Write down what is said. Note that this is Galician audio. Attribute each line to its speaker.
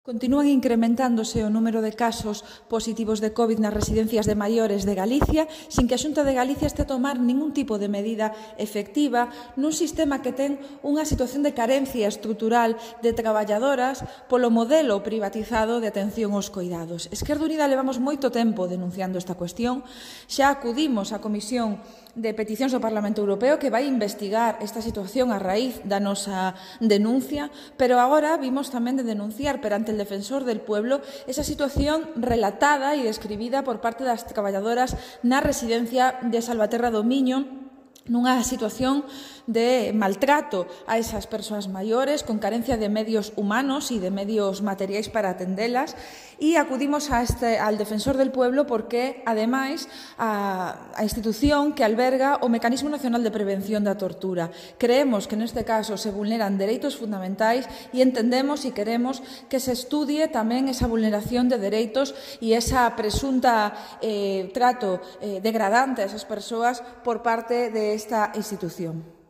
Speaker 1: Continúan incrementándose o número de casos positivos de COVID nas residencias de maiores de Galicia, sin que a Xunta de Galicia este a tomar ningún tipo de medida efectiva nun sistema que ten unha situación de carencia estrutural de traballadoras polo modelo privatizado de atención aos coidados. Esquerda Unida levamos moito tempo denunciando esta cuestión, xa acudimos á Comisión de Peticións do Parlamento Europeo que vai investigar esta situación a raíz da nosa denuncia, pero agora vimos tamén de denunciar perante el Defensor del Pueblo esa situación relatada e describida por parte das traballadoras na residencia de Salvaterra do Miño, nunha situación de maltrato a esas persoas maiores con carencia de medios humanos e de medios materiais para atendelas, e acudimos al Defensor del Pueblo porque, ademais, a institución que alberga o Mecanismo Nacional de Prevención da Tortura. Creemos que neste caso se vulneran dereitos fundamentais e entendemos e queremos que se estudie tamén esa vulneración de dereitos e esa presunta trato degradante a esas persoas por parte de esta institución.